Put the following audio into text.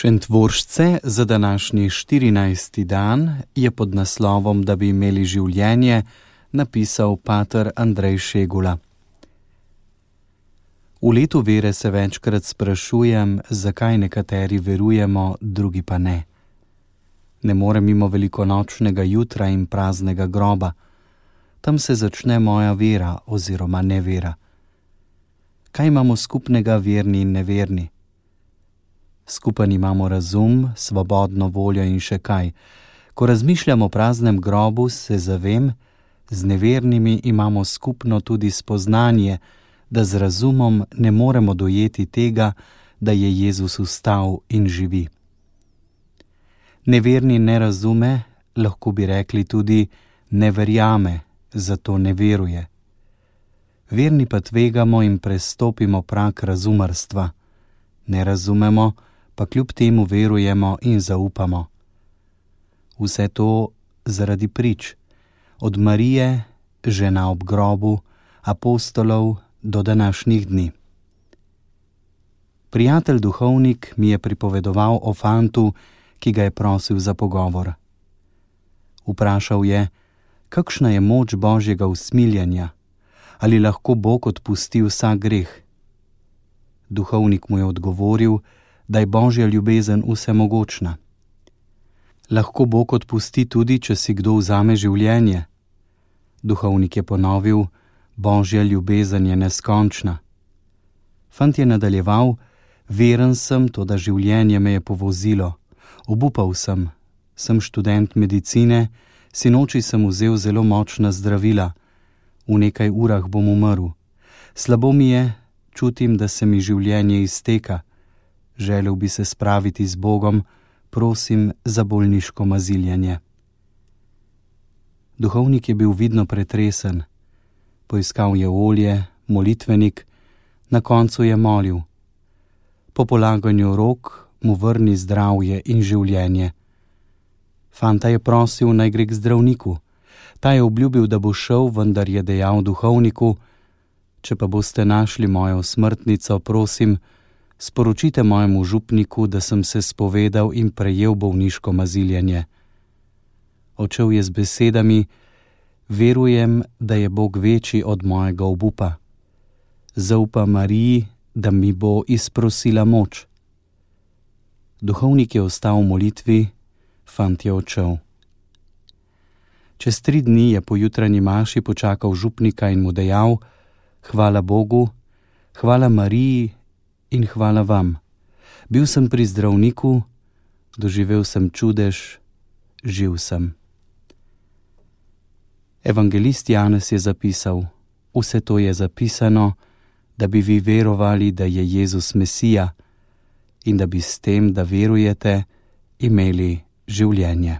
Šentvoržce za današnji 14. dan je pod naslovom Da bi imeli življenje napisal pater Andrej Šegula. V letu vere se večkrat sprašujem, zakaj nekateri verujemo, drugi pa ne. Ne morem mimo velikonočnega jutra in praznega groba. Tam se začne moja vera oziroma nevera. Kaj imamo skupnega verni in neverni? Skupen imamo razum, svobodno voljo in še kaj. Ko razmišljam o praznem grobu, se zavem, z nevernimi imamo skupno tudi spoznanje, da z razumom ne moremo dojeti tega, da je Jezus vstal in živi. Neverni ne razume, lahko bi rekli tudi ne verjame, zato ne veruje. Verni pa tvegamo in prestopimo prag razumarstva. Ne razumemo, pa kljub temu verujemo in zaupamo. Vse to zaradi prič, od Marije, žena ob grobu, apostolov do današnjih dni. Prijatelj duhovnik mi je pripovedoval o fantu, ki ga je prosil za pogovor. Vprašal je, kakšna je moč Božjega usmiljenja, ali lahko Bog odpusti vsak greh. Duhovnik mu je odgovoril, da je Božja ljubezen vsemogočna. Lahko Bog odpusti tudi, če si kdo vzame življenje. Duhovnik je ponovil, Božja ljubezen je neskončna. Fant je nadaljeval, veren sem, toda življenje me je povozilo. Obupal sem študent medicine, sinoči sem vzel zelo močna zdravila. V nekaj urah bom umrl. Slabo mi je, čutim, da se mi življenje izteka. Želel bi se spraviti z Bogom, prosim za bolniško maziljenje. Duhovnik je bil vidno pretresen. Poiskal je olje, molitvenik, na koncu je molil. Po polaganju rok mu vrni zdravje in življenje. Fanta je prosil, naj gre k zdravniku. Ta je obljubil, da bo šel, vendar je dejal duhovniku, če pa boste našli mojo smrtnico, prosim, sporočite mojemu župniku, da sem se spovedal in prejel bolniško maziljenje. Odšel je z besedami, verujem, da je Bog večji od mojega obupa. Zaupam Mariji, da mi bo izprosila moč. Duhovnik je ostal v molitvi, fant je odšel. Čez 3 dni je po jutranji maši počakal župnika in mu dejal, hvala Bogu, hvala Mariji in hvala vam. Bil sem pri zdravniku, doživel sem čudež, živ sem. Evangelist Janez je zapisal, vse to je zapisano, da bi vi verovali, da je Jezus Mesija in da bi s tem, da verujete, imeli življenje.